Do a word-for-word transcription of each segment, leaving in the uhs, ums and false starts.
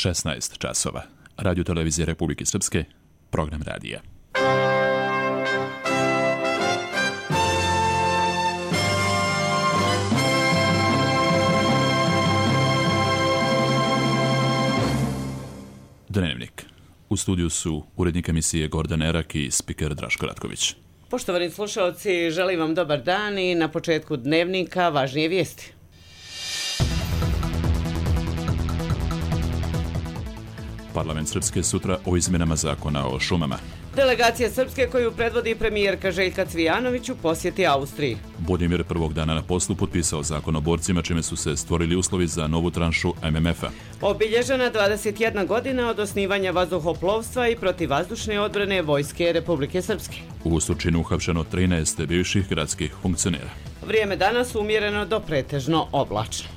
šesnaest časova. Radio televizije Republike Srpske, program radija. Dnevnik. U studiju su urednik emisije Gordan Erak i spiker Draško Ratković. Poštovani slušalci, želim vam dobar dan i na početku dnevnika važnije vijesti. Parlament Srpske sutra o izmjenama zakona o šumama. Delegacija Srpske koju predvodi premijerka Željka Cvijanović u posjeti Austriji. Budimir prvog dana na poslu potpisao zakon o borcima, čime su se stvorili uslovi za novu tranšu em em efa. Obilježena dvadeset jedna godina od osnivanja vazduhoplovstva i protivvazdušne odbrane Vojske Republike Srpske. U Surčinu uhapšeno trinaest bivših gradskih funkcionera. Vrijeme danas umjereno do pretežno oblačno.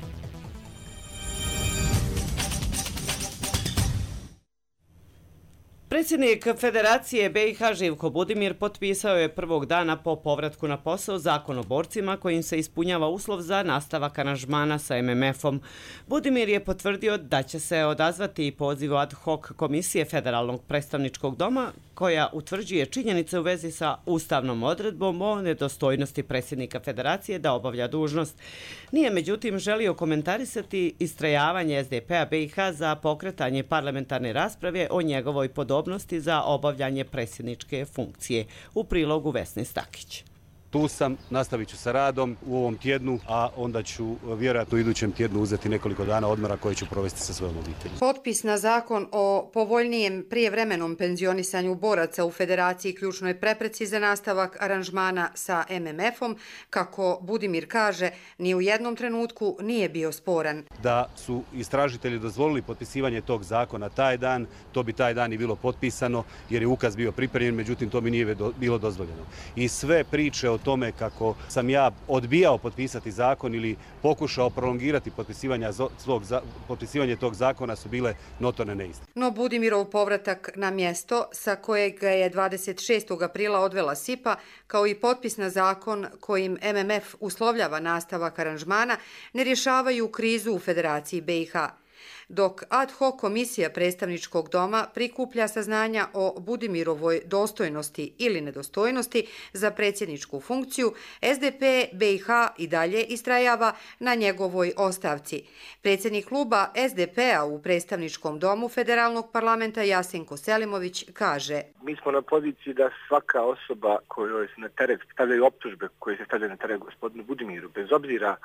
Predsjednik Federacije be i ha Živko Budimir potpisao je prvog dana po povratku na posao zakon o borcima kojim se ispunjava uslov za nastavak aranžmana sa em em efom. Budimir je potvrdio da će se odazvati pozivu ad hoc komisije Federalnog predstavničkog doma koja utvrđuje činjenice u vezi sa ustavnom odredbom o nedostojnosti predsjednika Federacije da obavlja dužnost. Nije međutim želio komentarisati istrajavanje es de pe-a be i ha za pokretanje parlamentarne rasprave o njegovoj podobnosti za obavljanje predsjedničke funkcije. U prilogu Vesne Stakić. Tu sam, nastavit ću sa radom u ovom tjednu, a onda ću vjerojatno u idućem tjednu uzeti nekoliko dana odmora koje ću provesti sa svojom obiteljom. Potpis na zakon o povoljnijem prijevremenom penzionisanju boraca u Federaciji ključnoj prepreci za nastavak aranžmana sa em em efom, kako Budimir kaže, ni u jednom trenutku nije bio sporan. Da su istražitelji dozvolili potpisivanje tog zakona taj dan, to bi taj dan i bilo potpisano, jer je ukaz bio pripremljen, međutim to mi nije bilo dozvoljeno. I sve priče o tome kako sam ja odbijao potpisati zakon ili pokušao prolongirati potpisivanje, svog, potpisivanje tog zakona su bile notorne neistine. No Budimirov povratak na mjesto sa kojeg ga je dvadeset šestog aprila odvela SIPA, kao i potpis na zakon kojim em em ef uslovljava nastavak aranžmana, ne rješavaju krizu u Federaciji be i ha. Dok ad hoc komisija predstavničkog doma prikuplja saznanja o Budimirovoj dostojnosti ili nedostojnosti za predsjedničku funkciju, es de pe be i ha i dalje istrajava na njegovoj ostavci. Predsjednik kluba es de pe-a u predstavničkom domu Federalnog parlamenta Jasenko Selimović kaže: Mi smo na poziciji da svaka osoba kojoj se na teret stavljaju optužbe koje se stavljaju na teret gospodinu Budimiru, bez obzira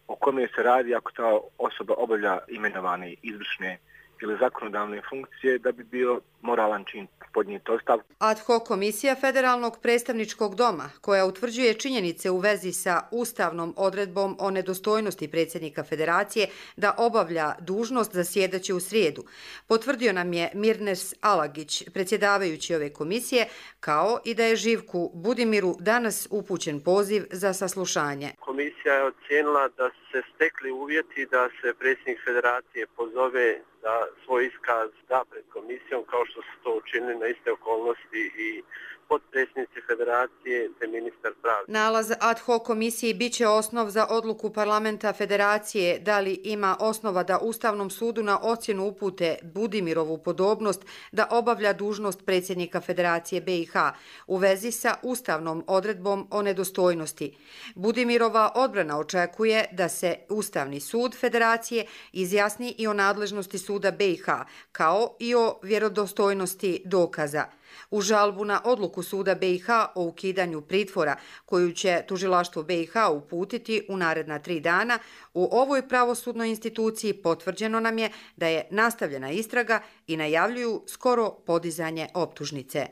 o kome se radi, ako ta osoba obavlja imenovane izvršne ili zakonodavne funkcije, da bi bio moralan čin podnijeti ostavku. Ad hoc komisija Federalnog predstavničkog doma, koja utvrđuje činjenice u vezi sa ustavnom odredbom o nedostojnosti predsjednika Federacije da obavlja dužnost, zasjedaće u srijedu, potvrdio nam je Mirnes Alagić, predsjedavajući ove komisije, kao i da je Živku Budimiru danas upućen poziv za saslušanje. Komisija je ocijenila da se stekli uvjeti da se predsjednik Federacije pozove da svoj iskaz da pred komisijom, kao što su to učinili na iste okolnosti i potpredsjednici Federacije te ministar pravde. Nalaz ad hoc komisiji biće osnov za odluku parlamenta Federacije da li ima osnova da Ustavnom sudu na ocjenu upute Budimirovu podobnost da obavlja dužnost predsjednika Federacije be i ha u vezi sa ustavnom odredbom o nedostojnosti. Budimirova odbrana očekuje da se Ustavni sud Federacije izjasni i o nadležnosti suda be i ha, kao i o vjerodostojnosti dokaza. U žalbu na odluku suda be i ha o ukidanju pritvora, koju će tužilaštvo be i ha uputiti u naredna tri dana, u ovoj pravosudnoj instituciji potvrđeno nam je da je nastavljena istraga i najavljuju skoro podizanje optužnice.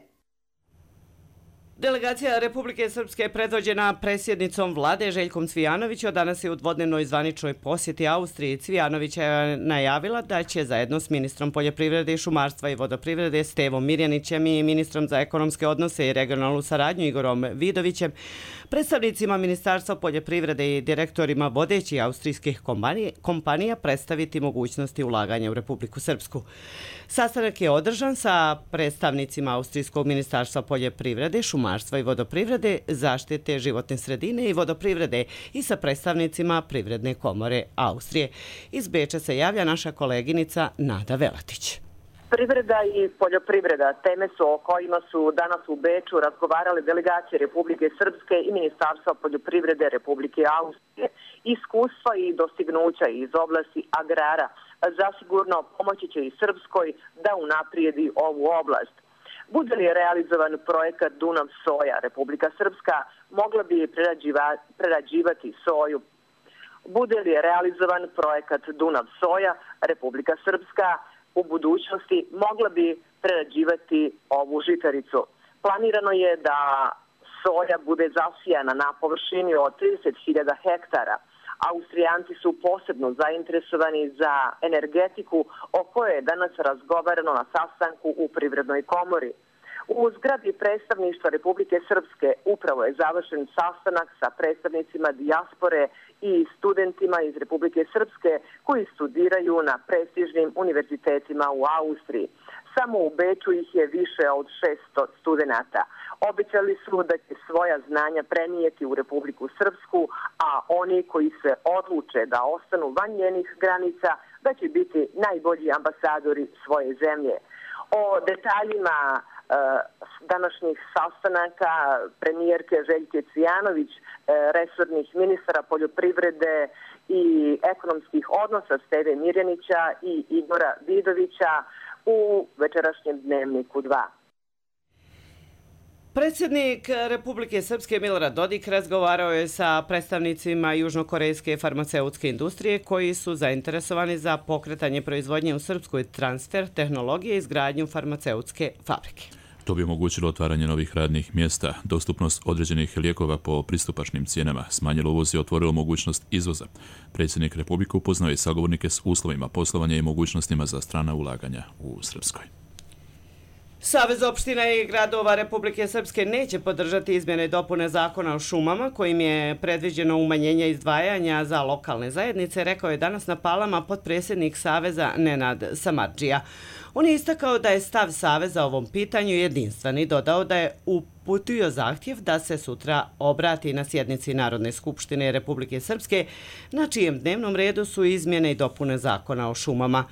Delegacija Republike Srpske predvođena predsjednicom vlade Željkom Cvijanovićem danas je u dvodnevnoj zvaničnoj posjeti Austriji. Cvijanović je najavila da će zajedno s ministrom poljoprivrede, šumarstva i vodoprivrede Stevom Mirjanićem i ministrom za ekonomske odnose i regionalnu saradnju Igorom Vidovićem, predstavnicima Ministarstva poljoprivrede i direktorima vodećih austrijskih kompanija predstaviti mogućnosti ulaganja u Republiku Srpsku. Sastanak je održan sa predstavnicima Austrijskog ministarstva poljoprivrede, šumarstva šumarstva i vodoprivrede, zaštite životne sredine i vodoprivrede i sa predstavnicima Privredne komore Austrije. Iz Beča se javlja naša koleginica Nada Velatić. Privreda i poljoprivreda teme su o kojima su danas u Beču razgovarali delegacije Republike Srpske i Ministarstva poljoprivrede Republike Austrije. Iskustva i dostignuća iz oblasti agrara zasigurno pomoći će i Srpskoj da unaprijedi ovu oblast. Bude li realizovan projekat Dunav soja, Republika Srpska mogla bi prerađivati soju. Bude li realizovan projekat Dunav soja, Republika Srpska u budućnosti mogla bi prerađivati ovu žitaricu. Planirano je da soja bude zasijana na površini od trideset hiljada hektara. Austrijanci su posebno zainteresovani za energetiku o kojoj je danas razgovarano na sastanku u Privrednoj komori. U zgradi predstavništva Republike Srpske upravo je završen sastanak sa predstavnicima dijaspore i studentima iz Republike Srpske koji studiraju na prestižnim univerzitetima u Austriji. Samo u Beču ih je više od šesto studenata. Obećali su da će svoja znanja prenijeti u Republiku Srpsku, a oni koji se odluče da ostanu van njenih granica, da će biti najbolji ambasadori svoje zemlje. O detaljima e, današnjih sastanaka premijerke Željke Cvijanović, e, resornih ministara poljoprivrede i ekonomskih odnosa Steve Mirjanića i Igora Vidovića u večerašnjem Dnevniku dva. Predsjednik Republike Srpske Milorad Dodik razgovarao je sa predstavnicima južnokorejske farmaceutske industrije koji su zainteresovani za pokretanje proizvodnje u Srpskoj, transfer tehnologije i izgradnju farmaceutske fabrike. To bi omogućilo otvaranje novih radnih mjesta, dostupnost određenih lijekova po pristupačnim cijenama, smanjilo uvoz i otvorilo mogućnost izvoza. Predsjednik Republike upoznao je sagovornike s uslovima poslovanja i mogućnostima za strana ulaganja u Srpskoj. Savez opština i gradova Republike Srpske neće podržati izmjene i dopune zakona o šumama kojim je predviđeno umanjenje izdvajanja za lokalne zajednice, rekao je danas na Palama potpredsjednik Saveza Nenad Samardžija. On je istakao da je stav Saveza o ovom pitanju jedinstven i dodao da je uputio zahtjev da se sutra obrati na sjednici Narodne skupštine Republike Srpske, na čijem dnevnom redu su izmjene i dopune zakona o šumama.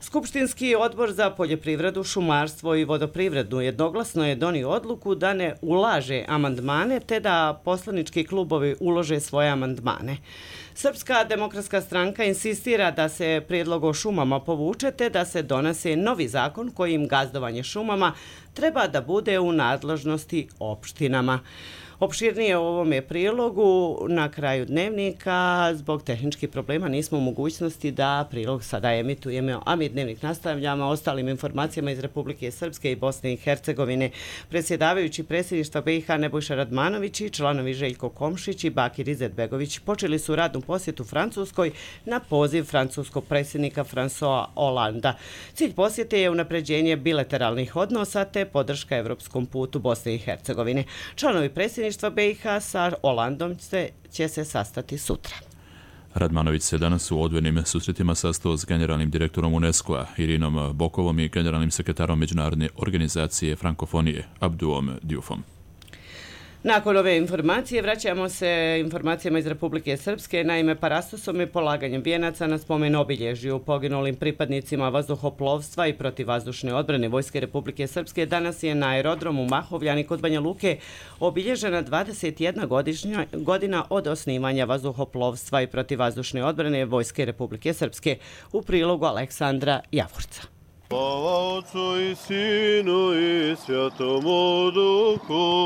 Skupštinski odbor za poljoprivredu, šumarstvo i vodoprivredu jednoglasno je donio odluku da ne ulaže amandmane te da poslanički klubovi ulože svoje amandmane. Srpska demokratska stranka insistira da se prijedlog o šumama povuče te da se donese novi zakon kojim gazdovanje šumama treba da bude u nadležnosti opštinama. Opširnije o ovome prilogu na kraju dnevnika. Zbog tehničkih problema nismo u mogućnosti da prilog sada emitujemo, a mi dnevnik nastavljamo ostalim informacijama iz Republike Srpske i Bosne i Hercegovine. Predsjedavajući predsjedništva B i H Nebojša Radmanović i članovi Željko Komšić i Bakir Izetbegović počeli su radnu posjetu Francuskoj na poziv francuskog predsjednika François Hollanda. Cilj posjete je unapređenje bilateralnih odnosa te podrška evropskom putu Bosne i Hercegovine. Članovi predsjedništva B i H sa Holandom će se sastati sutra. Radmanović se danas u odvojenim susretima sastao s generalnim direktorom UNESCO-a Irinom Bokovom i generalnim sekretarom Međunarodne organizacije Frankofonije Abduom Dioufom. Nakon ove informacije vraćamo se informacijama iz Republike Srpske. Naime, parastosom i polaganjem vijenaca na spomen obilježju poginulim pripadnicima vazduhoplovstva i protivvazdušne odbrane Vojske Republike Srpske danas je na aerodromu Mahovljani kod Banja Luke obilježena dvadeset jedna godina od osnivanja vazduhoplovstva i protivvazdušne odbrane Vojske Republike Srpske. U prilogu Aleksandra Javorca. Slava Otcu i Sinu i Svjatomu Duhu.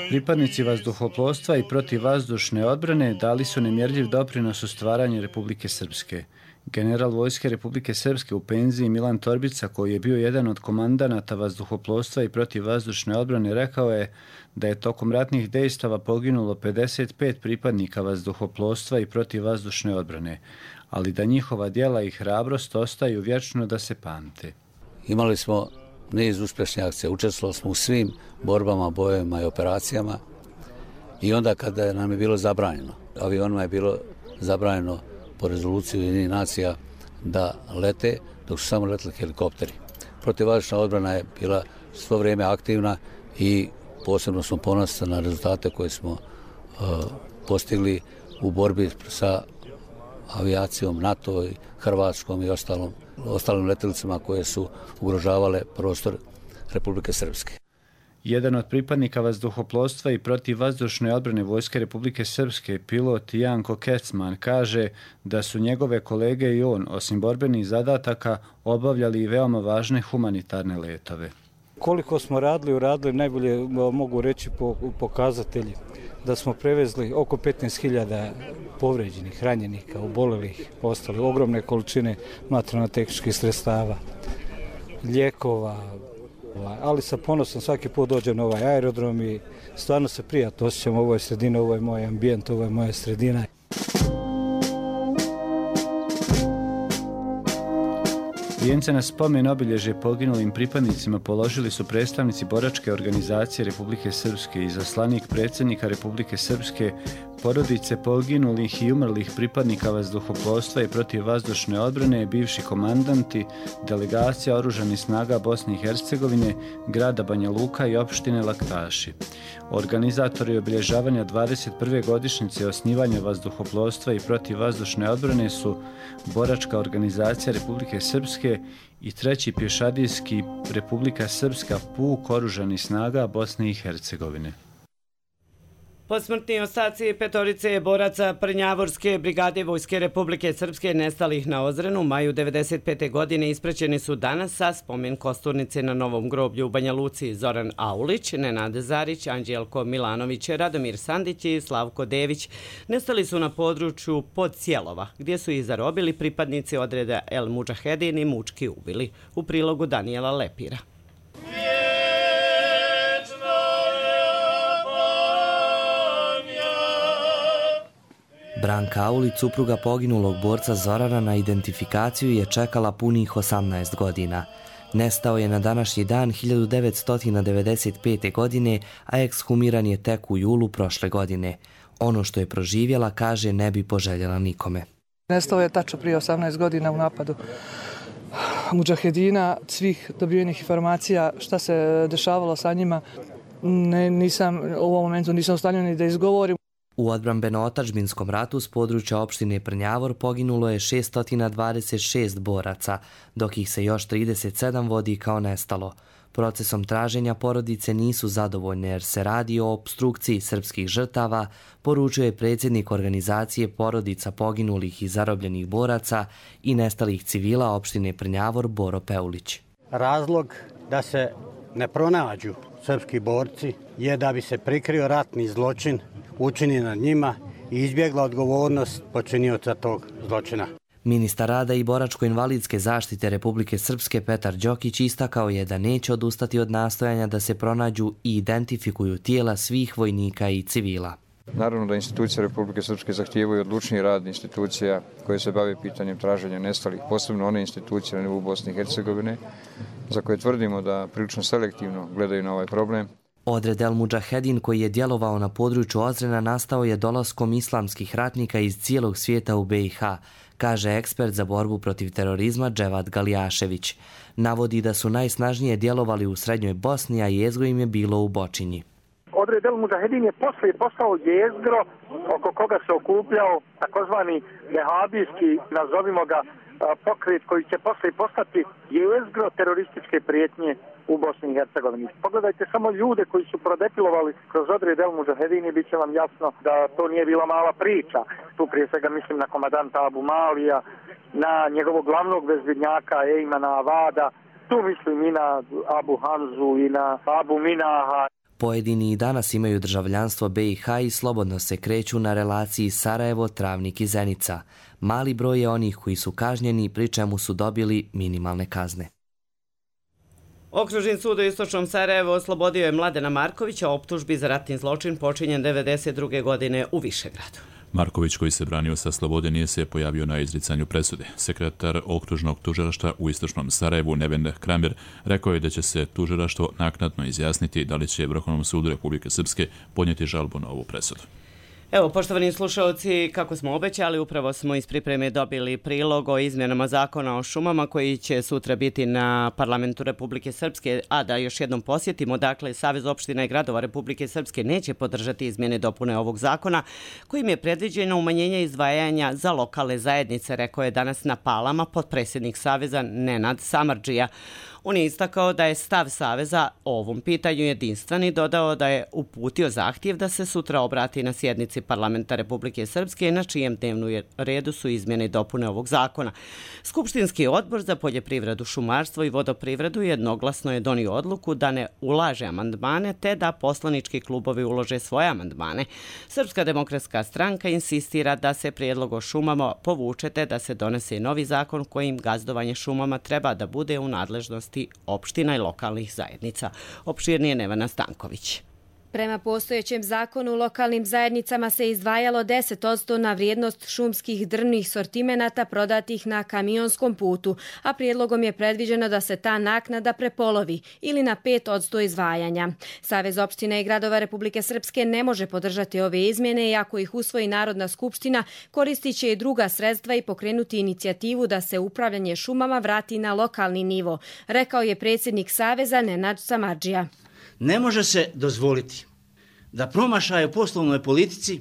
Pripadnici vazduhoplovstva i protivvazdušne odbrane dali su nemjerljiv doprinos u stvaranju Republike Srpske. General Vojske Republike Srpske u penziji Milan Torbica, koji je bio jedan od komandanata vazduhoplovstva i protivvazdušne odbrane, rekao je da je tokom ratnih dejstava poginulo pedeset pet pripadnika vazduhoplovstva i protivvazdušne odbrane, ali da njihova djela i hrabrost ostaju vječno da se pamte. Imali smo niz uspješnih akcija, učestvovali smo u svim borbama, bojevima i operacijama i onda kada nam je bilo zabranjeno, avionima je bilo zabranjeno po rezoluciji Ujedinjenih nacija da lete, dok su samo leteli helikopteri. Protivvazdušna odbrana je bila svo vrijeme aktivna i Posebno smo ponosni na rezultate koje smo uh, postigli u borbi sa avijacijom NATO, Hrvatskom i ostalom, ostalim letjelicama koje su ugrožavale prostor Republike Srpske. Jedan od pripadnika vazduhoplovstva i protivvazdušne odbrane Vojske Republike Srpske, pilot Janko Kecman, kaže da su njegove kolege i on, osim borbenih zadataka, obavljali i veoma važne humanitarne letove. Koliko smo radili, uradili, najbolje mogu reći po pokazatelji da smo prevezli oko petnaest hiljada povređenih, ranjenika, obolelih, ostali ogromne količine materijalno-tehničkih sredstava, lijekova, ali sa ponosom svaki put dođem na ovaj aerodrom i stvarno se prijatno osjećam u ovoj sredini, ovo je moj ambijent, ovo je moja sredina. Vijence na spomen obilježje poginulim pripadnicima položili su predstavnici boračke organizacije Republike Srpske i izaslanik predsjednika Republike Srpske, porodice poginulih i umrlih pripadnika vazduhoplovstva i protivvazdušne odbrane, bivši komandanti, delegacija oružanih snaga Bosne i Hercegovine, grada Banja Luka i opštine Laktaši. Organizatori obilježavanja dvadeset prve godišnjice osnivanja vazduhoplovstva i protivvazdušne odbrane su boračka organizacija Republike Srpske i treći pješadijski Republika Srpska puk oružanih snaga Bosne i Hercegovine. Posmrtni ostaci petorice boraca Prnjavorske brigade Vojske Republike Srpske nestalih na Ozrenu u maju devedeset pete. godine ispraćeni su danas sa spomen kosturnice na Novom groblju u Banja Luci. Zoran Aulić, Nenad Zarić, Anđelko Milanović, Radomir Sandić i Slavko Dević nestali su na području Podsjelova, gdje su ih zarobili pripadnici odreda El Mudžahedin i mučki ubili. U prilogu Danijela Lepira. Branka Aulić, supruga poginulog borca Zorana, na identifikaciju je čekala punih osamnaest godina. Nestao je na današnji dan hiljadu devetsto devedeset pete. godine, a ekshumiran je tek u julu prošle godine. Ono što je proživjela, kaže, ne bi poželjela nikome. Nestao je tačno prije osamnaest godina u napadu Mudžahedina. Svih dobivenih informacija šta se dešavalo sa njima, ne, nisam, u ovom momentu nisam u stanju ni da izgovorim. U odbrambeno-otadžbinskom ratu s područja opštine Prnjavor poginulo je šessto dvadeset šest boraca, dok ih se još trideset sedam vodi kao nestalo. Procesom traženja porodice nisu zadovoljne jer se radi o opstrukciji srpskih žrtava, poručuje predsjednik organizacije porodica poginulih i zarobljenih boraca i nestalih civila opštine Prnjavor Boro Peulić. Razlog da se ne pronađu srpski borci je da bi se prikrio ratni zločin učini nad njima i izbjegla odgovornost počinioca tog zločina. Ministar rada i boračko-invalidske zaštite Republike Srpske Petar Đokić istakao je da neće odustati od nastojanja da se pronađu i identifikuju tijela svih vojnika i civila. Naravno da institucije Republike Srpske zahtijevaju odlučniji rad institucija koje se bave pitanjem traženja nestalih, posebno one institucije na nivou Bosne i Hercegovine, za koje tvrdimo da prilično selektivno gledaju na ovaj problem. Odred El Mudžahedin, koji je djelovao na području Ozrena, nastao je dolaskom islamskih ratnika iz cijelog svijeta u B i H, kaže ekspert za borbu protiv terorizma Dževad Galijašević. Navodi da su najsnažnije djelovali u Srednjoj Bosni, a jezgro im je bilo u Bočinji. Odred El Mudžahedin je poslije postao jezgro oko koga se okupljao takozvani vehabijski, nazovimo ga, pokret koji će poslije postati jezgro terorističke prijetnje u Bosni i Hercegovini. Pogledajte samo ljude koji su prodefilovali kroz odred El Mudžahedin i bit će vam jasno da to nije bila mala priča. Tu prije svega mislim na komandanta Abu Malija, na njegovog glavnog bezbjednjaka Ejmana Avada, tu mislim i na Abu Hamzu i na Abu Minaha. Pojedini i danas imaju državljanstvo B i H i slobodno se kreću na relaciji Sarajevo, Travnik i Zenica. Mali broj je onih koji su kažnjeni, pri čemu su dobili minimalne kazne. Okružni sud u istočnom Sarajevu oslobodio je Mladena Markovića optužbi za ratni zločin počinjen devedeset druge. godine u Višegradu. Marković, koji se branio sa slobode, nije se pojavio na izricanju presude. Sekretar okružnog tužilaštva u istočnom Sarajevu, Neven Kramer, rekao je da će se tužilaštvo naknadno izjasniti da li će Vrhovnom sudu Republike Srpske podnijeti žalbu na ovu presudu. Evo, poštovani slušalci, kako smo obećali, upravo smo iz pripreme dobili prilog o izmjenama zakona o šumama koji će sutra biti na Parlamentu Republike Srpske, a da još jednom posjetimo, dakle, Savez opština i gradova Republike Srpske neće podržati izmjene dopune ovog zakona kojim je predviđeno umanjenje izdvajanja za lokalne zajednice, rekao je danas na Palama potpredsjednik Saveza Nenad Samardžija. On je istakao da je stav Saveza o ovom pitanju jedinstven i dodao da je uputio zahtjev da se sutra obrati na sjednici Parlamenta Republike Srpske na čijem dnevnom redu su izmjene i dopune ovog zakona. Skupštinski odbor za poljoprivredu, šumarstvo i vodoprivredu jednoglasno je donio odluku da ne ulaže amandmane te da poslanički klubovi ulože svoje amandmane. Srpska demokratska stranka insistira da se prijedlog o šumama povuče te da se donese novi zakon kojim gazdovanje šumama treba da bude u nadležnosti opština i lokalnih zajednica. Opširnije Nevena Stanković. Prema postojećem zakonu lokalnim zajednicama se izdvajalo deset posto na vrijednost šumskih drvnih sortimenata prodatih na kamionskom putu, a prijedlogom je predviđeno da se ta naknada prepolovi ili na pet posto izdvajanja. Savez opština i gradova Republike Srpske ne može podržati ove izmjene i ako ih usvoji Narodna skupština, koristit će i druga sredstva i pokrenuti inicijativu da se upravljanje šumama vrati na lokalni nivo, rekao je predsjednik Saveza Nenad Samardžija. Ne može se dozvoliti da promašaje u poslovnoj politici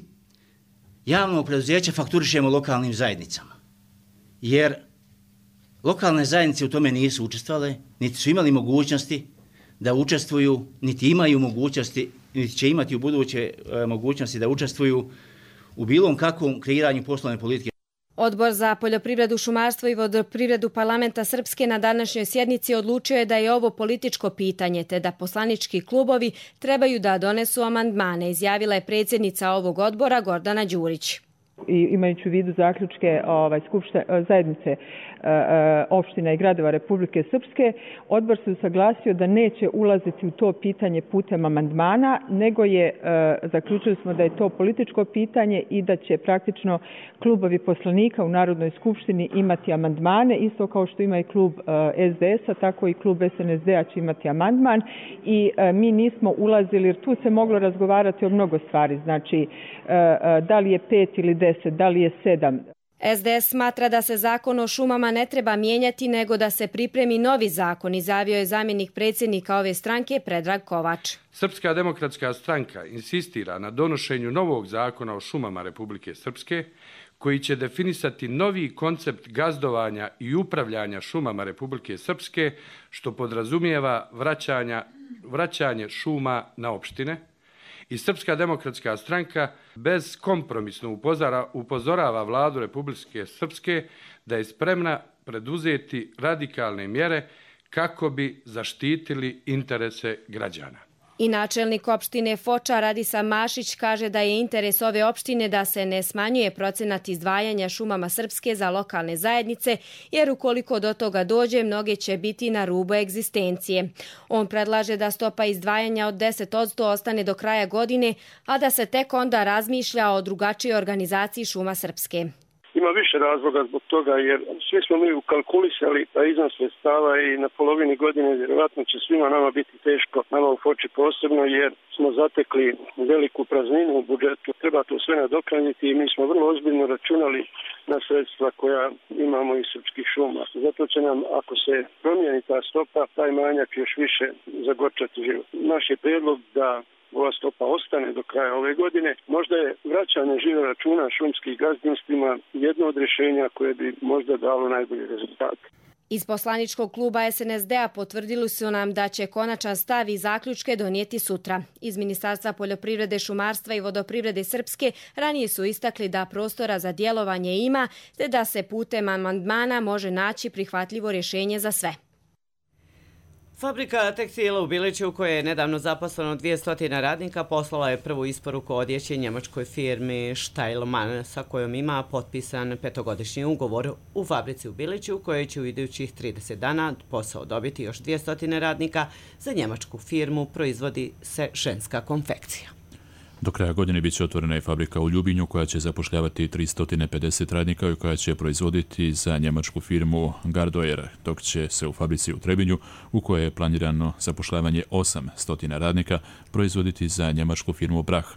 javnog preduzeća fakturišemo lokalnim zajednicama. Jer lokalne zajednice u tome nisu učestvovale, niti su imali mogućnosti da učestvuju, niti imaju mogućnosti, niti će imati u buduće mogućnosti da učestvuju u bilo kakvom kreiranju poslovne politike. Odbor za poljoprivredu, šumarstvo i vodoprivredu Parlamenta Srpske na današnjoj sjednici odlučio je da je ovo političko pitanje te da poslanički klubovi trebaju da donesu amandmane, izjavila je predsjednica ovog odbora Gordana Đurić. I imajući u vidu zaključke ovaj, skupšte, zajednice e, opština i gradova Republike Srpske, odbor se usaglasio da neće ulaziti u to pitanje putem amandmana, nego je, e, zaključili smo da je to političko pitanje i da će praktično klubovi poslanika u Narodnoj skupštini imati amandmane, isto kao što ima i klub e, S D S-a, tako i klub S N S D-a će imati amandman i e, mi nismo ulazili, jer tu se moglo razgovarati o mnogo stvari, znači e, da li je pet ili deset, da li je sedam. S D S smatra da se zakon o šumama ne treba mijenjati, nego da se pripremi novi zakon, izjavio je zamjenik predsjednika ove stranke Predrag Kovač. Srpska demokratska stranka insistira na donošenju novog zakona o šumama Republike Srpske, koji će definisati novi koncept gazdovanja i upravljanja šumama Republike Srpske, što podrazumijeva vraćanja, vraćanje šuma na opštine. I Srpska demokratska stranka bezkompromisno upozora, upozorava vladu Republike Srpske da je spremna preduzeti radikalne mjere kako bi zaštitili interese građana. I načelnik opštine Foča Radisa Mašić kaže da je interes ove opštine da se ne smanjuje procenat izdvajanja šumama Srpske za lokalne zajednice, jer ukoliko do toga dođe, mnoge će biti na rubu egzistencije. On predlaže da stopa izdvajanja od deset posto ostane do kraja godine, a da se tek onda razmišlja o drugačijoj organizaciji šuma Srpske. Ima više razloga zbog toga, jer svi smo mi ukalkulisali da iznos sredstava i na polovini godine vjerovatno će svima nama biti teško, nama u Foči posebno, jer smo zatekli veliku prazninu u budžetu. Treba to sve nadoknaditi i mi smo vrlo ozbiljno računali na sredstva koja imamo iz srpskih šuma. Zato će nam, ako se promijeni ta stopa, taj manjak još više zagorčati život. Naš je prijedlog da ova stopa ostane do kraja ove godine. Možda je vraćanje žive računa šumskih gazdinstvima jedno od rješenja koje bi možda dalo najbolji rezultat. Iz poslaničkog kluba S N S D-a potvrdili su nam da će konačan stav i zaključke donijeti sutra. Iz Ministarstva poljoprivrede, šumarstva i vodoprivrede Srpske ranije su istakli da prostora za djelovanje ima, te da se putem amandmana može naći prihvatljivo rješenje za sve. Fabrika tekstila u Biliću, u kojoj je nedavno zaposleno dvjesto radnika, poslala je prvu isporuku odjeće njemačkoj firmi Steilmann, sa kojom ima potpisan petogodišnji ugovor. U fabrici u Biliću, u kojoj će u idućih trideset dana posao dobiti još dvjesto radnika, za njemačku firmu proizvodi se ženska konfekcija. Do kraja godine bit će otvorena i fabrika u Ljubinju koja će zapošljavati tristo pedeset radnika i koja će proizvoditi za njemačku firmu Gardoer, dok će se u fabrici u Trebinju, u kojoj je planirano zapošljavanje osamsto radnika, proizvoditi za njemačku firmu Brach.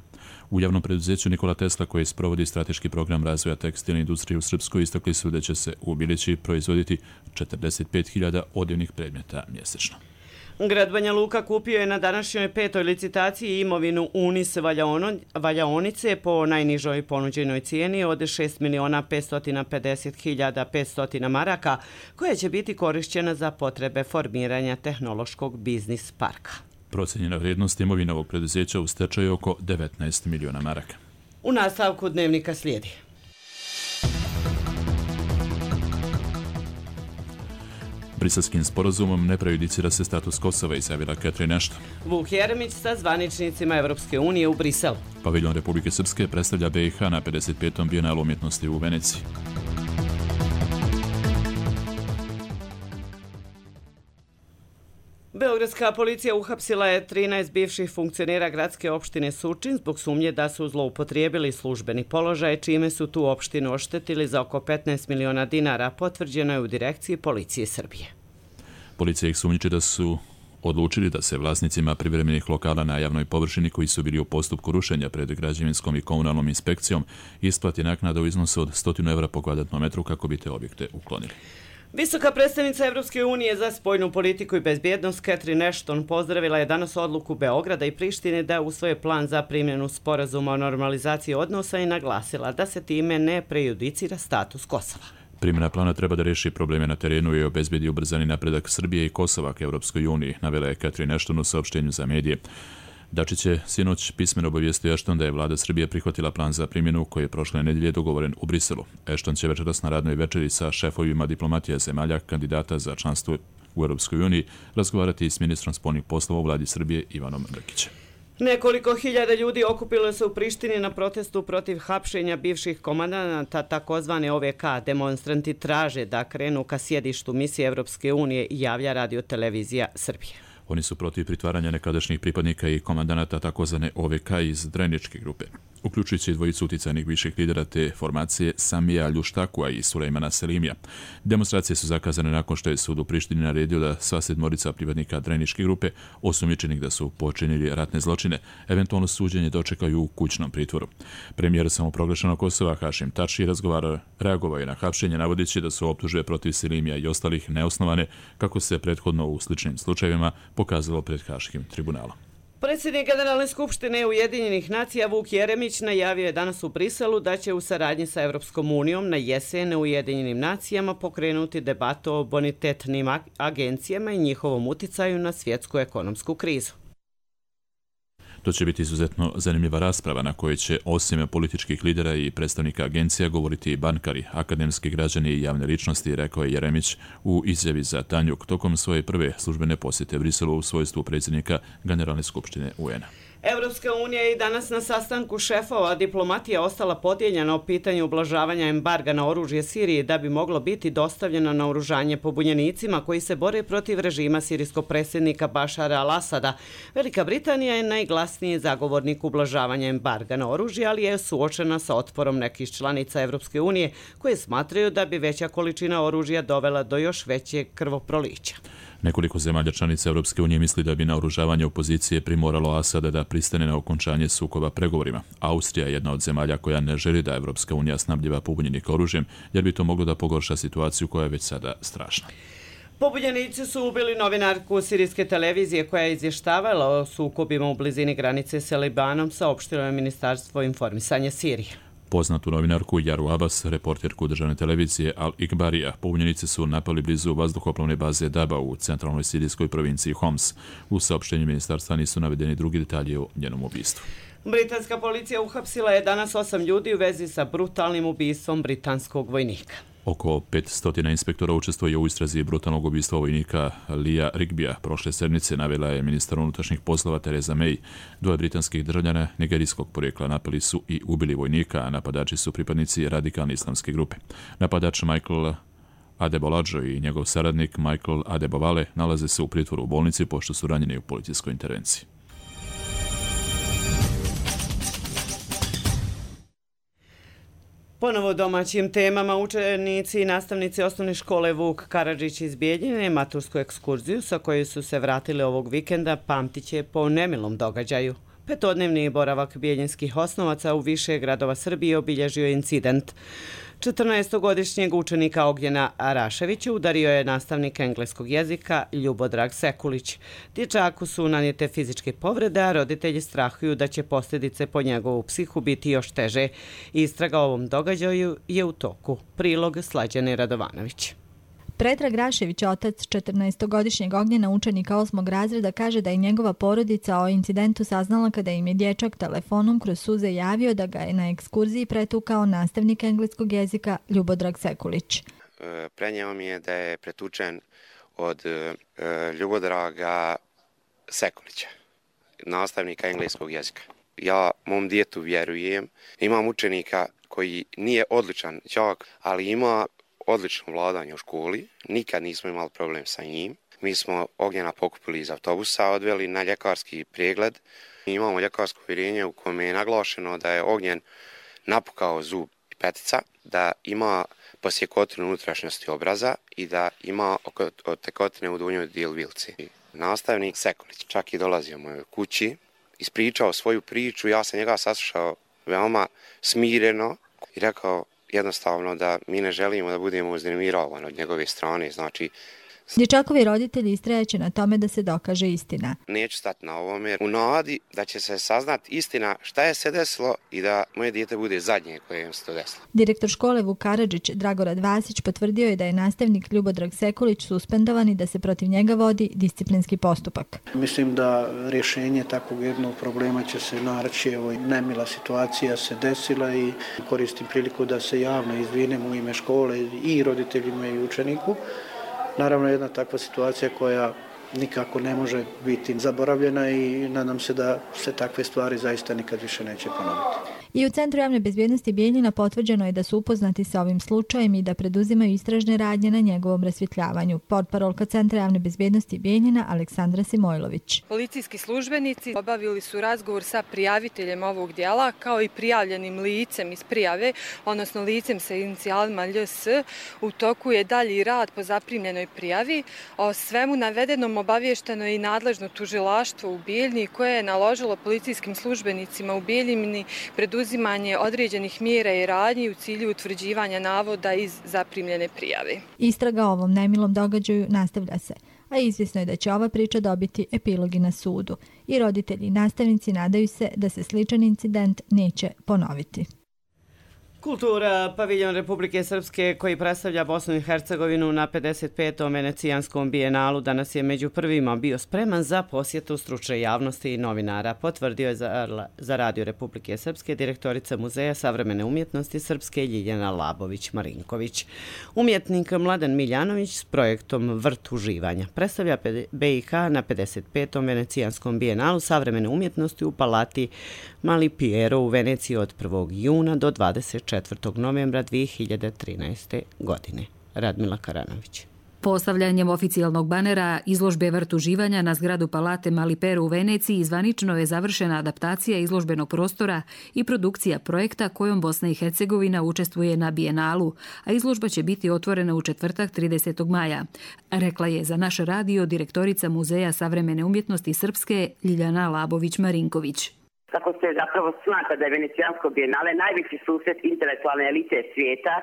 U javnom preduzeću Nikola Tesla, koji sprovodi strateški program razvoja tekstilne industrije u Srpskoj, istakli su da će se u Bilići proizvoditi četrdeset pet hiljada odjevnih predmeta mjesečno. Grad Banja Luka kupio je na današnjoj petoj licitaciji imovinu Unis valjaonice po najnižoj ponuđenoj cijeni od šest miliona petsto pedeset hiljada petsto maraka, koja će biti korišćena za potrebe formiranja tehnološkog biznis parka. Procenjena vrijednost imovine ovog preduzeća u stečaju je oko devetnaest miliona maraka. U nastavku dnevnika slijedi. Briselskim sporazumom ne prejudicira se status Kosova, izjavila Catherine Ashton. Vuk Jeremić sa zvaničnicima Evropske unije u Briselu. Paviljon Republike Srpske predstavlja B i H na pedeset petom bijenalu umjetnosti u Veneciji. Beogradska policija uhapsila je trinaest bivših funkcionera gradske opštine Surčin zbog sumnje da su zloupotrijebili službeni položaj, čime su tu opštinu oštetili za oko petnaest miliona dinara, potvrđeno je u direkciji policije Srbije. Policija ih sumnjiči da su odlučili da se vlasnicima privremenih lokala na javnoj površini koji su bili u postupku rušenja pred građevinskom i komunalnom inspekcijom isplati naknada u iznosu od sto evra po kvadratnom metru kako bi te objekte uklonili. Visoka predstavnica Evropske unije za spoljnu politiku i bezbjednost Catherine Ashton pozdravila je danas odluku Beograda i Prištine da usvoje plan za primjenu sporazuma o normalizaciji odnosa i naglasila da se time ne prejudicira status Kosova. Primjena plana treba da reši probleme na terenu i obezbedi ubrzani napredak Srbije i Kosova k Evropskoj uniji, navela je Catherine Ashton u saopštenju za medije. Dačić je sinoć pismeno obavijestio Ashton da je vlada Srbije prihvatila plan za primjenu koji je prošle nedelje dogovoren u Briselu. Ashton će večeras na radnoj večeri sa šefovima diplomatija zemalja kandidata za članstvo u Europskoj uniji razgovarati s ministrom spoljnih poslova u vladi Srbije Ivanom Brkićem. Nekoliko hiljada ljudi okupilo se u Prištini na protestu protiv hapšenja bivših komandanata takozvane O V K. Demonstranti traže da krenu ka sjedištu misije Evropske unije, javlja Radio televizija Srbije. Oni su protiv pritvaranja nekadašnjih pripadnika i komandanata takozvane O V K iz Dreničke grupe, uključujući dvojicu uticajnih viših lidera te formacije Samija Ljuštakua i Sulejmana Selimija. Demonstracije su zakazane nakon što je sud u Prištini naredio da sva sedmorica pripadnika Dreničke grupe, osumnjičenih da su počinili ratne zločine, eventualno suđenje dočekaju u kućnom pritvoru. Premijer samoproglašenog Kosova Hašim Tači reagovao je na hapšenje navodeći da su optužbe protiv Selimija i ostalih neosnovane, kako se prethodno u sličnim slučajevima pokazalo pred Haškim tribunalom. Predsjednik Generalne skupštine Ujedinjenih nacija Vuk Jeremić najavio je danas u Briselu da će u saradnji sa Evropskom unijom na jesen u Ujedinjenim nacijama pokrenuti debatu o bonitetnim agencijama i njihovom uticaju na svjetsku ekonomsku krizu. To će biti izuzetno zanimljiva rasprava na kojoj će osim političkih lidera i predstavnika agencija govoriti i bankari, akademski građani i javne ličnosti, rekao je Jeremić u izjavi za Tanjuk tokom svoje prve službene posjete Briselu u svojstvu predsjednika Generalne skupštine U N-a. Evropska unija je i danas na sastanku šefova diplomatija ostala podijeljena o pitanju ublažavanja embarga na oružje Siriji da bi moglo biti dostavljeno na oružanje pobunjenicima koji se bore protiv režima sirijskog predsjednika Bašara al-Asada. Velika Britanija je najglasniji zagovornik ublažavanja embarga na oružje, ali je suočena sa otporom nekih članica Evropske unije koje smatraju da bi veća količina oružja dovela do još većeg krvoprolića. Nekoliko zemalja članica Europske unije misli da bi naoružavanje opozicije primoralo Asada da pristane na okončanje sukoba pregovorima. Austrija je jedna od zemalja koja ne želi da Europska unija snabdjeva pobunjenika oružjem, jer bi to moglo da pogorša situaciju koja je već sada strašna. Pobunjenici su ubili novinarku sirijske televizije koja je izvještavala o sukobima u blizini granice sa Libanom, saopštilo je Ministarstvo informisanja Sirije. Poznatu novinarku Jaru Abbas, reporterku državne televizije Al-Ikbarija, pobunjenici su napali blizu vazduhoplovne baze Daba u centralnoj sirijskoj provinciji Homs. U saopštenju ministarstva nisu navedeni drugi detalji o njenom ubistvu. Britanska policija uhapsila je danas osam ljudi u vezi sa brutalnim ubistvom britanskog vojnika. Oko petsto inspektora učestvuje u istrazi brutalnog ubistva vojnika Lija Rigbija. Prošle sedmice navela je ministar unutrašnjih poslova Theresa May. Dvoje britanskih državljana nigerijskog porijekla napali su i ubili vojnika, a napadači su pripadnici radikalne islamske grupe. Napadač Michael Adebolajo i njegov saradnik Michael Adebovale nalaze se u pritvoru u bolnici pošto su ranjeni u policijskoj intervenciji. Ponovo domaćim temama učenici i nastavnici osnovne škole Vuk Karadžić iz Bijeljine matursku ekskurziju sa kojoj su se vratili ovog vikenda pamtit će po nemilom događaju. Petodnevni boravak bijeljinskih osnovaca u više gradova Srbije obilježio incident. četrnaestogodišnjeg učenika Ognjena Araševića udario je nastavnik engleskog jezika Ljubodrag Sekulić. Dječaku su nanijete fizičke povrede, a roditelji strahuju da će posljedice po njegovu psihu biti još teže. Istraga o ovom događaju je u toku. Prilog Slađane Radovanović. Predrag Rašević, otac četrnaestogodišnjeg Ognjena, učenika osmog razreda, kaže da je njegova porodica o incidentu saznala kada im je dječak telefonom kroz suze javio da ga je na ekskurziji pretukao nastavnik engleskog jezika Ljubodrag Sekulić. Prenio mi je da je pretučen od Ljubodraga Sekulića, nastavnika engleskog jezika. Ja mom djetu vjerujem. Imam učenika koji nije odličan đak, ali ima odlično vladanje u školi, nikad nismo imali problem sa njim. Mi smo Ognjena pokupili iz autobusa, odveli na ljekarski pregled. Imamo ljekarsko uvjerenje u kojem je naglašeno da je Ognjen napukao zub i petica, da ima posjekotinu unutrašnjosti obraza i da ima tekotine u donjoj dijelu vilci. Nastavnik Sekulić čak i dolazio mojoj kući, ispričao svoju priču, ja sam njega saslušao veoma smireno i rekao jednostavno da mi ne želimo da budemo uznemiravani od njegove strane, znači... Dječakovi roditelji istrajaće na tome da se dokaže istina. Neću stati na ovome u nadi da će se saznati istina šta je se desilo i da moje dijete bude zadnje koje se to desilo. Direktor škole Vuk Karadžić Dragorad Vasić potvrdio je da je nastavnik Ljubodrag Sekulić suspendovan i da se protiv njega vodi disciplinski postupak. Mislim da rješenje takvog jednog problema će se naći. Evo, nemila situacija se desila i koristim priliku da se javno izvinem u ime škole i roditeljima i učeniku. Naravno, jedna takva situacija koja nikako ne može biti zaboravljena i nadam se da se takve stvari zaista nikad više neće ponoviti. I u Centru javne bezbjednosti Bijeljina potvrđeno je da su upoznati sa ovim slučajem i da preduzimaju istražne radnje na njegovom rasvjetljavanju. Portparolka Centra javne bezbjednosti Bijeljina Aleksandra Simojlović. Policijski službenici obavili su razgovor sa prijaviteljem ovog djela kao i prijavljenim licem iz prijave, odnosno licem sa inicijalima L S. U toku je dalji rad po zaprimljenoj prijavi. O svemu navedenom obavješteno je i nadležno tužilaštvo u Bijeljini koje je naložilo policijskim službenicima u Bijeljini preduzimanje uzimanje određenih mjera i radnji u cilju utvrđivanja navoda iz zaprimljene prijave. Istraga o ovom nemilom događaju nastavlja se, a izvjesno je da će ova priča dobiti epilogi na sudu. I roditelji i nastavnici nadaju se da se sličan incident neće ponoviti. Kultura, paviljon Republike Srpske koji predstavlja Bosnu i Hercegovinu na pedeset petom Venecijanskom bijenalu danas je među prvima bio spreman za posjetu stručne javnosti i novinara, potvrdio je za, za Radio Republike Srpske direktorica Muzeja savremene umjetnosti Srpske Ljiljana Labović-Marinković. Umjetnik Mladen Miljanović s projektom Vrt uživanja predstavlja B i H na pedeset petom Venecijanskom bijenalu savremene umjetnosti u palati Mali Piero u Veneciji od prvog juna do dvadeset četvrtog novembra dvije hiljade trinaeste. godine. Radmila Karanović. Postavljanjem oficijalnog banera izložbe Vrt uživanja na zgradu Palate Mali Piero u Veneciji zvanično je završena adaptacija izložbenog prostora i produkcija projekta kojom Bosna i Hercegovina učestvuje na bijenalu, a izložba će biti otvorena u četvrtak tridesetog maja. Rekla je za naš radio direktorica Muzeja savremene umjetnosti Srpske Ljiljana Labović-Marinković. Tako se zapravo smatra da je Venecijansko bijenale najveći susret intelektualne elite svijeta.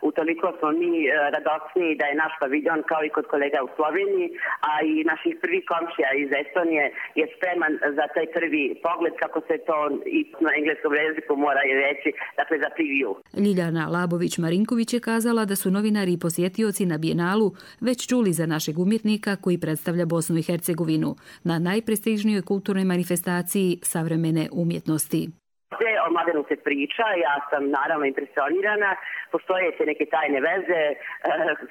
Utoliko smo mi radosniji da je naš paviljon kao i kod kolega u Sloveniji, a i naših prvi komšija iz Estonije je spreman za taj prvi pogled, kako se to i na engleskom jeziku mora i reći, dakle za preview. Ljiljana Labović-Marinković je kazala da su novinari i posjetioci na bijenalu već čuli za našeg umjetnika koji predstavlja Bosnu i Hercegovinu na najprestižnijoj kulturnoj manifestaciji savremene umjetnosti. Sve o Mladenu se priča, ja sam naravno impresionirana, postoje se neke tajne veze uh,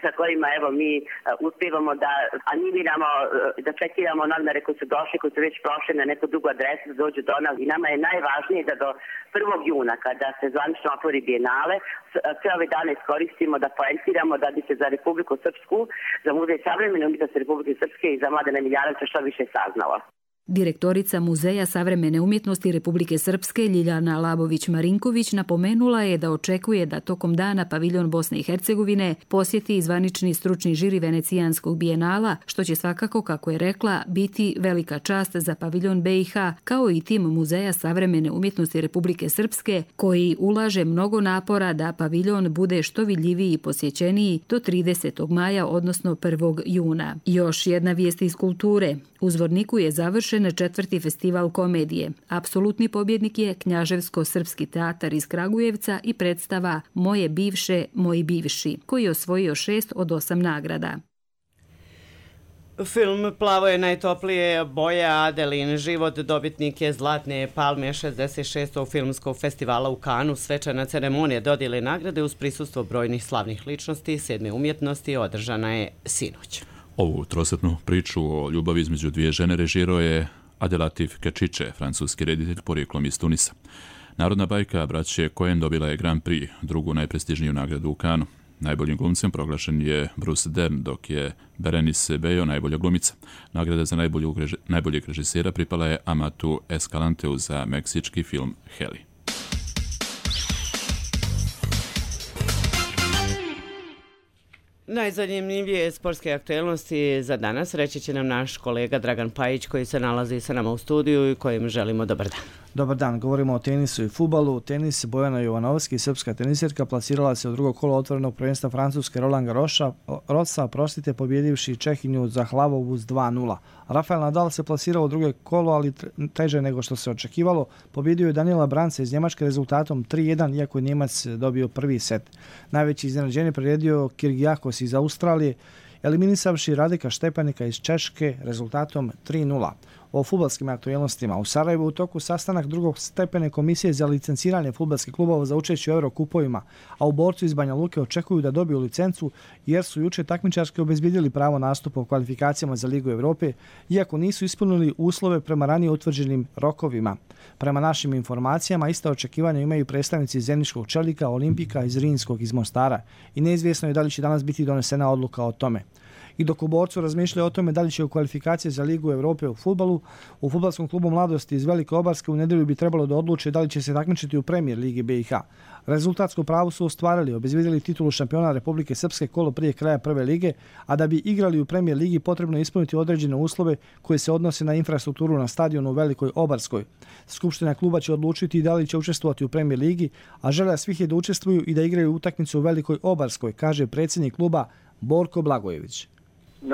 sa kojima evo mi uh, uspijevamo da animiramo, uh, da čekiramo novinare koji su došli, koji su već prošli na neku drugu adresu, da dođu do nas i nama je najvažnije da do prvog juna kada se zvanično otvori bijenale, sve ove dane iskoristimo da poentiramo da bi se za Republiku Srpsku, za Muzej savremene umjetnosti Republike Srpske i za Mladena Miljanovića što više saznalo. Direktorica Muzeja savremene umjetnosti Republike Srpske Ljiljana Labović-Marinković napomenula je da očekuje da tokom dana paviljon Bosne i Hercegovine posjeti i zvanični stručni žiri Venecijanskog bijenala, što će svakako, kako je rekla, biti velika čast za paviljon B i H, kao i tim Muzeja savremene umjetnosti Republike Srpske, koji ulaže mnogo napora da paviljon bude što vidljiviji i posjećeniji do tridesetog maja, odnosno prvog juna. Još jedna vijest iz kulture. U Zvorniku je završen četvrti festival komedije. Apsolutni pobjednik je Knjaževsko-srpski teatar iz Kragujevca i predstava Moje bivše, moji bivši, koji je osvojio šest od osam nagrada. Film Plavo je najtoplije boje, Adelin život dobitnik je Zlatne palme šezdeset šestog filmskog festivala u Kanu. Svečana ceremonija dodjele nagrade uz prisustvo brojnih slavnih ličnosti sedme umjetnosti održana je sinoć. Ovu trosatnu priču o ljubavi između dvije žene režirao je Abdelatif Kečiće, francuski reditelj porijeklom iz Tunisa. Narodna bajka braće Coen dobila je Grand Prix, drugu najprestižniju nagradu u Kanu. Najboljim glumcem proglašen je Bruce Dern, dok je Berenice Bejo najbolja glumica. Nagrada za najboljeg režisera pripala je Amatu Escalanteu za meksički film Heli. Najzanimljivije sportske aktualnosti za danas reći će nam naš kolega Dragan Pajić, koji se nalazi sa nama u studiju i kojim želimo dobar dan. Dobar dan, govorimo o tenisu i fudbalu. Tenis, Bojana Jovanovski, srpska tenisirka, plasirala se u drugo kolo otvorenog prvenstva Francuske Roland Garrosa, prostite, pobjedivši Čehinju Zahlavovu s dva nula. Rafael Nadal se plasirao u drugo kolo, ali teže nego što se očekivalo. Pobjedio je Daniela Branca iz Njemačke rezultatom tri jedan, iako je Njemac dobio prvi set. Najveći iznenađenje priredio Kirgijakos iz Australije, eliminisavši Radika Štepanika iz Češke rezultatom tri nula. O fudbalskim aktualnostima. U Sarajevu u toku sastanak drugog stepene komisije za licenciranje fudbalskih klubova za učešće u Eurokupovima, a u Borcu iz Banja Luke očekuju da dobiju licencu jer su juče takmičarski obezbjedili pravo nastupa u kvalifikacijama za Ligu Evrope, iako nisu ispunili uslove prema ranije utvrđenim rokovima. Prema našim informacijama, ista očekivanja imaju predstavnici Zeničkog Čelika, Olimpika iz Rinskog iz Mostara i neizvjesno je da li će danas biti donesena odluka o tome. I dok u Borcu razmišljaju o tome da li će u kvalifikacije za Ligu Evrope u fudbalu, u fudbalskom klubu Mladosti iz Velike Obarske u nedjelju bi trebalo da odluče da li će se takmičiti u Premier Ligi B i H. Rezultatsku pravu su ostvarili, obezbjedili titulu šampiona Republike Srpske kolo prije kraja prve lige, a da bi igrali u Premier Ligi potrebno je ispuniti određene uslove koje se odnose na infrastrukturu na stadionu u Velikoj Obarskoj. Skupština kluba će odlučiti da li će učestvovati u Premier Ligi, a želja svih je da učestvuju i da igraju utakmicu u Velikoj Obarskoj, kaže predsjednik kluba Borko Blagojević.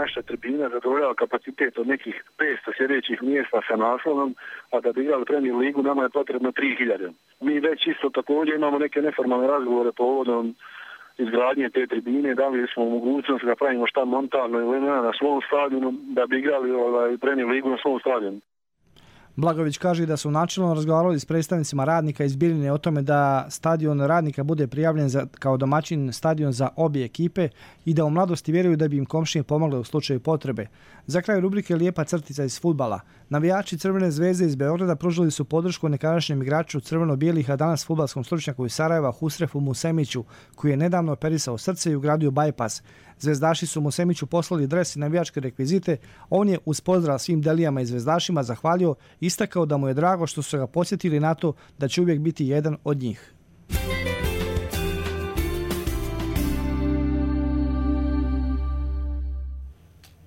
Naša tribina zadovoljava kapacitet od nekih petsto sljedećih mjesta sa naslovom, a da bi igrali Premier Ligu nama je potrebno tri hiljade. Mi već isto također imamo neke neformalne razgovore povodom izgradnje te tribine, da li smo u mogućnosti da pravimo šta montalno ili ne na svom stadionu, da bi igrali ovaj, Premier Ligu na svom stadionu. Blagović kaže da su načelno razgovarali s predstavnicima Radnika iz Bijeljine o tome da stadion Radnika bude prijavljen za, kao domaćin stadion za obje ekipe i da u Mladosti vjeruju da bi im komšije pomogle u slučaju potrebe. Za kraj rubrike Lijepa crtica iz fudbala. Navijači Crvene zvezde iz Beograda pružili su podršku nekadašnjem igraču crveno-bijelih, a danas fudbalskom stručnjaku iz Sarajeva Husrefu Musemiću, koji je nedavno operisao srce i ugradio bajpas. Zvezdaši su Musemiću poslali dres i navijačke rekvizite. On je uz pozdrav svim delijama i zvezdašima zahvalio i istakao da mu je drago što su ga podsjetili na to da će uvijek biti jedan od njih.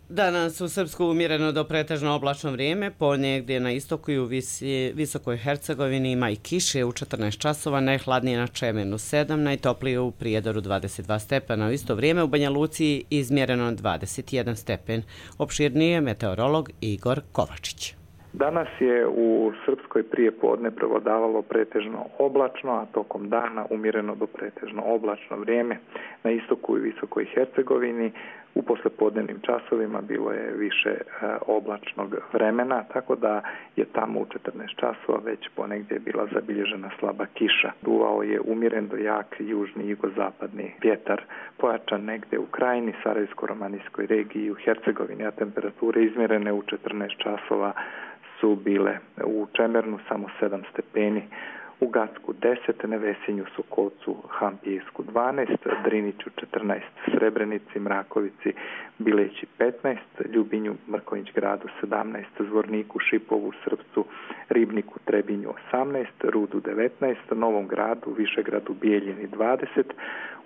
Danas u Srpsku umjereno do pretežno oblačno vrijeme, ponegdje na istoku i u visi, visokoj Hercegovini ima i kiše u četrnaest časova, najhladnije na Čemenu sedam, najtoplije u Prijedoru dvadeset dva stepena. U isto vrijeme u Banja Luci izmjereno dvadeset jedan stepen. Opširnije meteorolog Igor Kovačić. Danas je u Srpskoj prije podne prevladavalo pretežno oblačno, a tokom dana umjereno do pretežno oblačno vrijeme. Na istoku i visokoj Hercegovini u poslepodnevnim časovima bilo je više e, oblačnog vremena, tako da je tamo u četrnaest časova već ponegdje bila zabilježena slaba kiša. Duvao je umjeren do jak južni i jugozapadni vjetar, pojačan negdje u Krajini, Sarajevsko-romanijskoj regiji i u Hercegovini, a temperature izmjerene u četrnaest časova su bile u Čemernu samo sedam stepeni, u Gacku deset, Nevesinju, Sokolcu, Hampijesku dvanaest, Driniću četrnaest, Srebrenici, Mrakovici, Bileći petnaest, Ljubinju, Mrkonjić gradu sedamnaest, Zvorniku, Šipovu, Srpcu, Ribniku, Trebinju osamnaest, Rudu devetnaest, Novom gradu, Višegradu, Bijeljini dvadeset,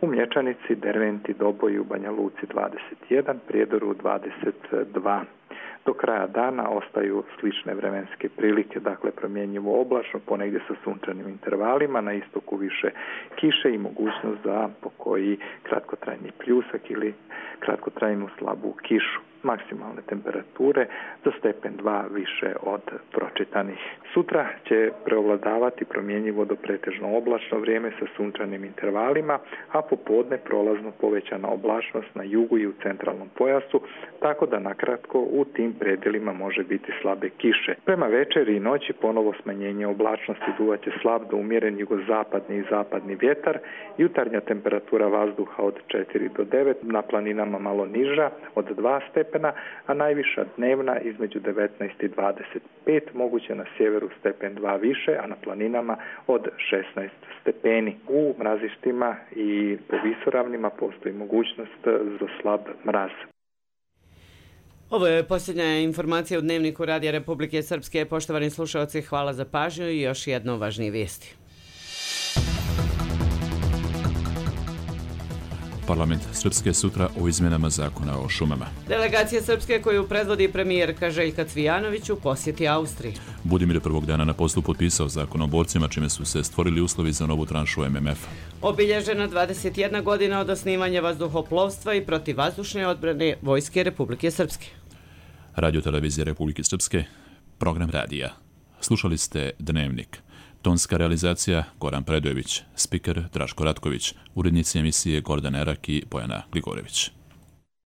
u Mlječanici, Derventi, Doboju, Banja Luci dvadeset jedan, Prijedoru dvadeset dva. Do kraja dana ostaju slične vremenske prilike, dakle promjenjivo oblačno, ponegdje sa sunčanim intervalima, na istoku više kiše i mogućnost za pokoji kratkotrajni pljusak ili kratkotrajnu slabu kišu. Maksimalne temperature za stepen dva više od pročitanih. Sutra će preovladavati promjenjivo do pretežno oblačno vrijeme sa sunčanim intervalima, a popodne prolazno povećana oblačnost na jugu i u centralnom pojasu, tako da nakratko u tim predjelima može biti slabe kiše. Prema večeri i noći ponovo smanjenje oblačnosti, duvaće slab do umjeren jugozapadni i zapadni vjetar, jutarnja temperatura vazduha od četiri do devet, na planinama malo niža od dva stepena, a najviša dnevna između devetnaest i dvadeset pet, moguće na sjeveru stepen dva više, a na planinama od šesnaest stepeni. U mrazištima i po visoravnima postoji mogućnost za slab mraz. Ovo je posljednja informacija u Dnevniku Radija Republike Srpske. Poštovani slušalci, hvala za pažnju i još jedno važnije vijesti. Parlament Srpske sutra o izmjenama zakona o šumama. Delegacija Srpske koju predvodi premijerka Željka Cvijanović u posjeti Austriji. Budimir je prvog dana na poslu potpisao zakon o borcima, čime su se stvorili uslovi za novu tranšu M M F. Obilježena dvadeset jedna godina od osnivanja vazduhoplovstva i protivvazdušne odbrane Vojske Republike Srpske. Radio televizija Republike Srpske, program radija. Slušali ste Dnevnik. Tonska realizacija Goran Predojević, spiker Draško Ratković, urednici emisije Gordana Erak i Bojana Gligorević.